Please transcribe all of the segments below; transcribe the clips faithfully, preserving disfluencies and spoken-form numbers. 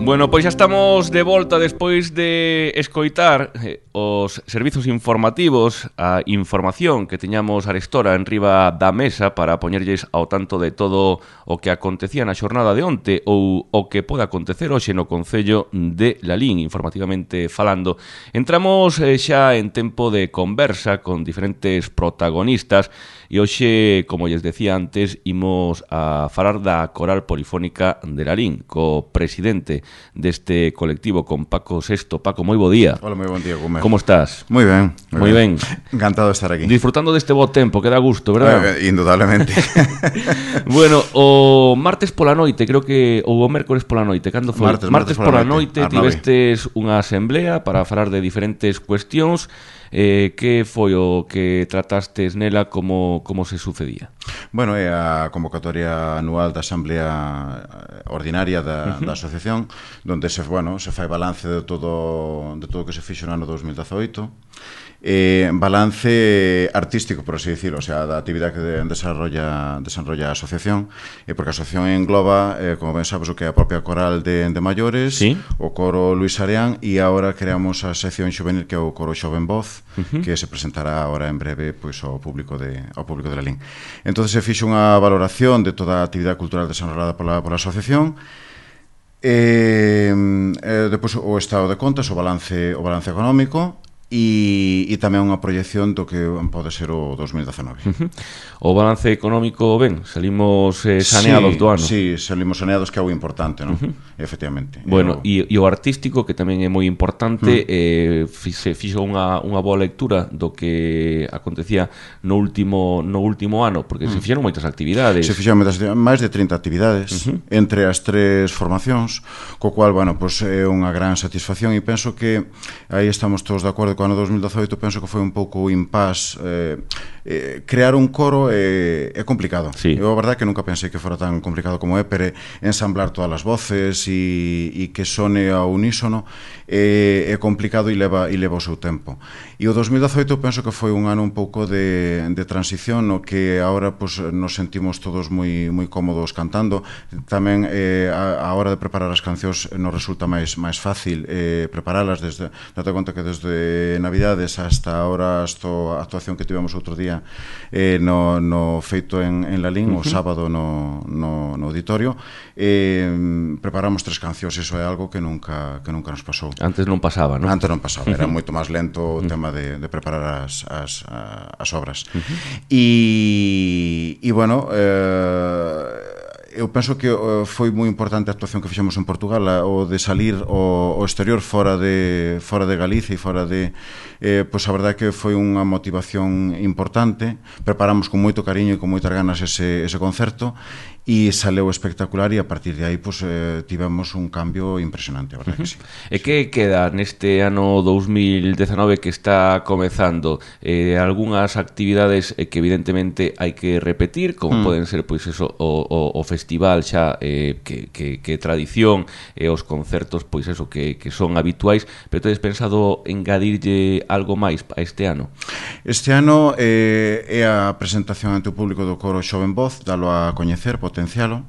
Bueno, pois xa estamos de volta despois de escoitar eh, os servizos informativos, a información que teñamos arestora en riba da mesa para poñerlles ao tanto de todo o que acontecía na xornada de onte ou o que pode acontecer hoxe no Concello de Lalín, informativamente falando. Entramos eh, xa en tempo de conversa con diferentes protagonistas e hoxe, como lles decía antes, imos a falar da Coral Polifónica de Lalín, co presidente deste colectivo, con Paco Sesto. Paco, moi bo día. Hola, moi bon día, Gómez. Como estás? Moi ben. Moi ben. ben. Encantado de estar aquí. Disfrutando deste bo tempo, que dá gusto, verdad? Eh, indudablemente. Bueno, o martes pola noite, creo que, ou o mércores pola noite, cando foi? Martes, martes, martes pola pola noite, noite, tivestes unha asamblea para falar de diferentes cuestións. Eh, que foi o que tratastes nela, como, como se sucedía? Bueno, é a convocatoria anual da Asamblea Ordinaria da, uh-huh. da Asociación, donde se, bueno, se fai balance de todo de todo o que se fixo no ano dos mil dezoito. Eh, balance artístico, por así decirlo, o sea, da actividade que desarrolla, desarrolla a asociación, eh, porque a asociación engloba, eh, como ben sabes, o que é a propia coral de, de maiores, ¿Sí? o coro Luis Areán, e agora creamos a sección xuvenil, que é o coro Xoven Voz, uh-huh. que se presentará agora en breve pois, ao público de, ao público de Lalín. Entón se fixe unha valoración de toda a actividade cultural desarrollada pola, pola asociación. Eh, eh, depois o estado de contas, o balance, o balance económico, e, e tamén unha proyección do que pode ser o dos mil dezenove. Uh-huh. O balance económico, ben, salimos eh, saneados sí, do ano. Sí, salimos saneados, que é algo importante, non? Uh-huh. Efectivamente. Bueno, e o... o artístico, que tamén é moi importante, uh-huh. eh, se fixo unha, unha boa lectura do que acontecía no último, no último ano, porque uh-huh. se fixeron moitas actividades. Se fixeron moitas actividades, máis de trinta actividades, uh-huh. entre as tres formacións, co cual, bueno, pues, é unha gran satisfacción, e penso que aí estamos todos de acordo. Co ano dos mil dezoito penso que foi un pouco impas. eh, eh, crear un coro é, é complicado. Sí. Eu a verdade que nunca pensei que fora tan complicado como é, pero ensamblar todas as voces e, e que sone ao unísono é, é complicado e leva, e leva o seu tempo. E o dos mil dezoito penso que foi un ano un pouco de, de transición, no que agora pues, nos sentimos todos moi, moi cómodos cantando. Tamén eh, a, a hora de preparar as cancións nos resulta máis, máis fácil eh, preparalas. Desde, date conta que desde Navidades hasta ahora, hasta a actuación que tivemos outro día eh, no, no feito en, en Lalín, uh-huh. o sábado no, no, no auditorio, eh, preparamos tres cancións. Iso é algo que nunca, que nunca nos pasou. Antes non pasaba, non? Antes non pasaba, era moito máis lento o tema de, de preparar as, as, as obras. Uh-huh. E, e bueno, eh, eu penso que uh, foi moi importante a actuación que fixemos en Portugal, o de salir ao, ao exterior, fora de, fora de Galicia e fora de... Eh, pois a verdade que foi unha motivación importante. Preparamos con moito cariño e con moitas ganas ese, ese concerto, e saleu espectacular, e a partir de aí pois, eh, tivemos un cambio impresionante, a verdade uh-huh. que sí. E que queda neste ano dos mil dezenove que está comezando? Eh, algunhas actividades eh, que evidentemente hai que repetir, como mm. poden ser pois eso, o, o, o festival xa eh, que, que, que tradición, e eh, os concertos pois eso que, que son habituais, pero tedes pensado engadirlle algo máis a este ano? Este ano eh, é a presentación ante o público do coro Xoven Voz, dalo a coñecer, potencialo.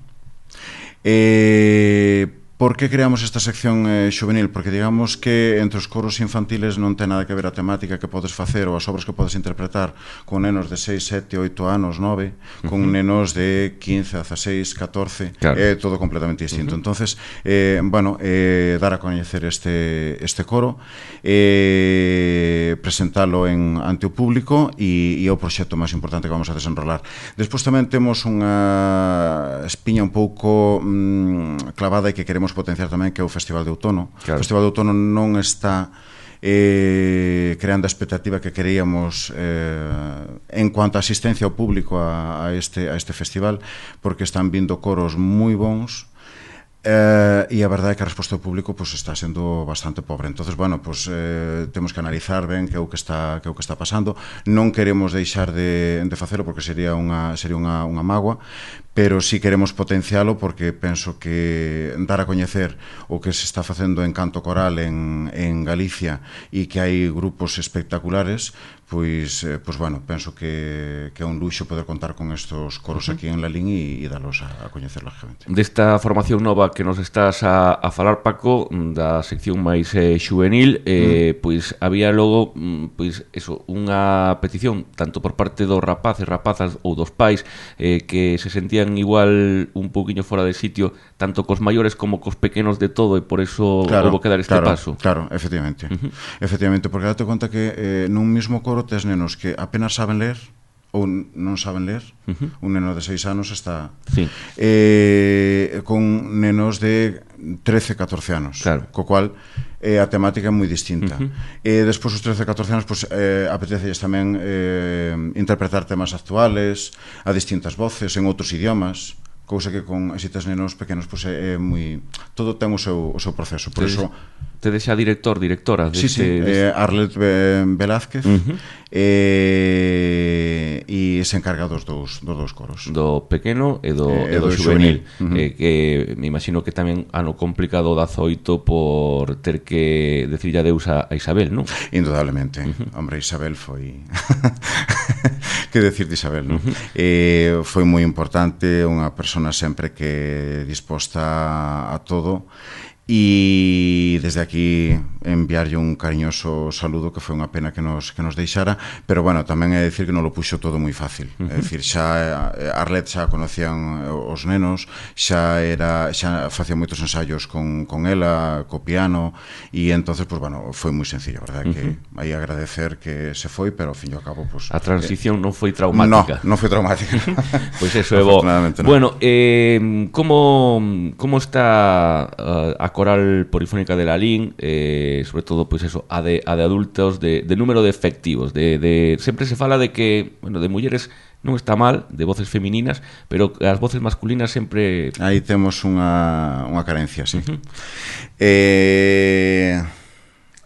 Eh, por que creamos esta sección eh, xuvenil? Porque digamos que entre os coros infantiles non ten nada que ver a temática que podes facer ou as obras que podes interpretar con nenos de seis, sete, oito anos, nove, con uh-huh. nenos de quince, dieciséis, catorce, claro. É todo completamente distinto. Uh-huh. Entonces, eh, bueno, eh, dar a coñecer este, este coro, eh, presentalo en, ante o público, e, e é o proxecto máis importante que vamos a desenrolar. Despois tamén temos unha espiña un pouco mm, clavada, e que queremos potenciar tamén, que é o Festival de Outono. Claro. O Festival de Outono non está eh, creando a expectativa que queríamos eh, en cuanto a asistencia ao público a, a, este, a este festival, porque están vindo coros moi bons, Eh, e a verdade é que a resposta do público pues, está sendo bastante pobre. Entonces, bueno, pues, eh, temos que analizar ben que é o que está, que é o que está pasando. Non queremos deixar de, de facelo, porque sería unha, sería unha, unha mágoa, pero sí queremos potencialo, porque penso que dar a coñecer o que se está facendo en canto coral en, en Galicia, e que hai grupos espectaculares, pois, eh, pois bueno, penso que, que é un luxo poder contar con estos coros uh-huh. aquí en Lalín e, e dalos a, a coñecer lógicamente. Desta formación nova que nos estás a, a falar, Paco, da sección máis eh, xuvenil, eh, uh-huh. pois había logo pois eso, unha petición tanto por parte dos rapaces, rapazas ou dos pais eh, que se sentían igual un pouquiño fora de sitio tanto cos maiores como cos pequenos de todo, e por eso claro, houve que dar este claro, paso. Claro, efectivamente. Uh-huh. Efectivamente, porque date conta que eh, nun mismo coro tes nenos que apenas saben ler ou non saben ler. Uh-huh. Un neno de seis anos está sí. eh, con nenos de trece, catorce anos, claro. co cual eh, a temática é moi distinta. Uh-huh. E despois os trece, catorce anos pues, eh, apetecelles tamén eh, interpretar temas actuales a distintas voces en outros idiomas, cousa que con estes nenos pequenos pues, é, é moi... todo ten o seu, o seu proceso, por eso... Tedes xa director, directora sí, sí, eh, Arlet Velázquez uh-huh. eh, e se encarga dos dous, dos dous coros, do pequeno e do, eh, e do, do xuvenil, xuvenil. Uh-huh. eh, que me imagino que tamén ano complicado o dazoito por ter que decirlle adeus a, a Isabel, non? Indudablemente, uh-huh. hombre, Isabel foi que decir de Isabel, non? Uh-huh. eh, foi moi importante, unha persona sempre que disposta a todo. E desde aquí enviarlle un cariñoso saludo, que foi unha pena que nos, que nos deixara, pero bueno, tamén é dicir que non lo puxo todo moi fácil. Uh-huh. É dicir, xa Arlet xa conocían os nenos, xa era xa facía moitos ensaios con, con ela, co piano, e entonces, pues bueno, foi moi sencillo, verdad, uh-huh. que aí agradecer que se foi, pero ao fin e ao cabo, pues, a transición eh, non foi traumática. Non, non foi traumática. Pois pues eso é bo. No. Bueno, eh, como, como está uh, a Coral Polifónica de Lalín, eh, sobre todo pois pues eso, a de, a de adultos, de, de número de efectivos, de, de sempre se fala de que, bueno, de mulleres non está mal, de voces femininas, pero as voces masculinas sempre... Aí temos unha, unha carencia, sí. Uh-huh. eh,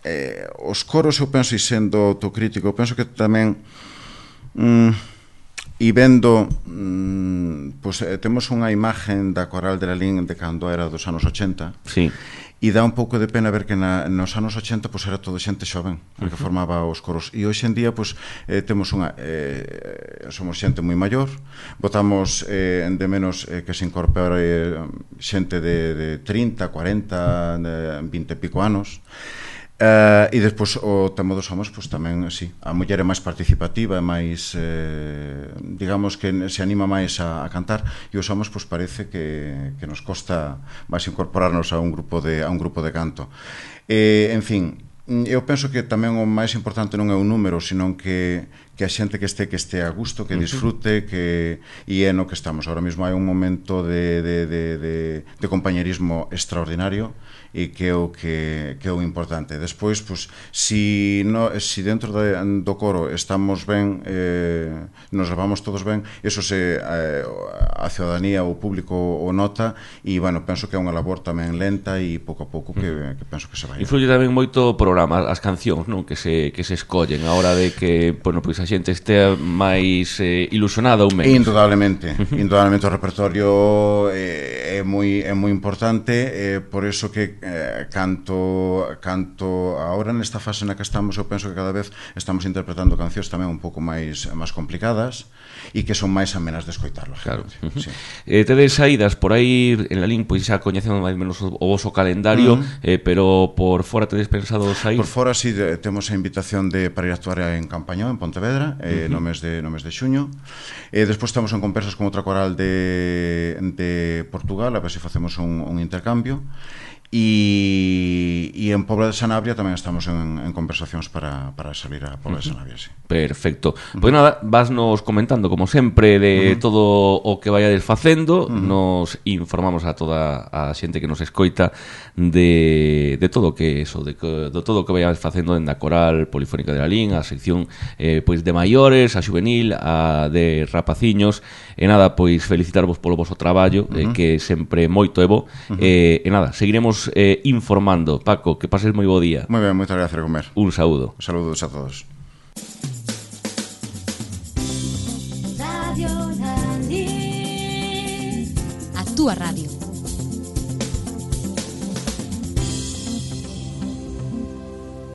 eh, os coros, eu penso, e sendo autocrítico, eu penso que tamén mm, e vendo mm, pues, eh, temos unha imagen da Coral de Lalín de cando era dos anos ochenta. Sí. E dá un pouco de pena ver que na, nos anos ochenta pues, era todo xente xoven a que formaba os coros, e hoxe en día pues, eh, temos unha eh, somos xente moi maior, votamos eh, de menos eh, que se incorpore eh, xente de, de trinta, cuarenta, de vinte e pico anos. Uh, e despois o tema dos homens pues, tamén, sí, a muller é máis participativa, é máis eh, digamos que se anima máis a, a cantar, e os homens pues, parece que, que nos costa máis incorporarnos a un grupo de, a un grupo de canto. eh, en fin, eu penso que tamén o máis importante non é o número, senón que, que a xente que este que este a gusto, que disfrute, que e é no que estamos. Ahora mesmo hai un momento de, de, de, de, de compañerismo extraordinario, e que é o que, que é o importante. Despois, pues, si, no, si dentro de, do coro estamos ben, eh, nos levamos todos ben, eso se eh, a ciudadanía, o público o nota, e, bueno, penso que é unha labor tamén lenta e pouco a pouco que, que penso que se vai. Influye tamén moito o programa, as cancións, non? Que se, que se escollen a hora de que, bueno, pois a xente estea máis eh, ilusionada ou menos. Indudablemente, indudablemente o repertorio eh, é moi é moi importante, eh, por eso que eh, canto canto agora nesta fase na que estamos, eu penso que cada vez estamos interpretando cancións tamén un pouco máis máis complicadas e que son máis amenas de escoitar, claro. Sí. Eh, tedes saídas por aí en Lalín, pois xa coñecendo máis ou menos o voso calendario, uh-huh. eh, pero por fora tedes pensado sair? Por fora si sí, temos a invitación de para ir a actuar en Campañón, en Pontevedra, eh, uh-huh. no mes de no mes de xuño. Eh, despois estamos en conversas con outra coral de de Portugal, a ver se facemos un, un intercambio. E, e en Pobla de Sanabria tamén estamos en, en conversacións para, para salir a Pobla uh-huh. de Sanabria, sí. Perfecto. Uh-huh. Pois nada, vasnos comentando como sempre de uh-huh. todo o que vayades facendo, uh-huh. nos informamos a toda a xente que nos escoita de, de todo o que eso, de, de todo o que vayades facendo en da Coral Polifónica de Lalín, a sección eh, pois de maiores, a xuvenil, a de rapaciños, e nada, pois felicitarvos polo voso traballo, uh-huh. eh, que sempre moito é bo, uh-huh. eh, e nada, seguiremos Eh, informando. Paco, que pases moi bo día. Moi ben, moitas gracias, Comer. Un saúdo. Saludos a todos. Radio Lalín, a túa radio.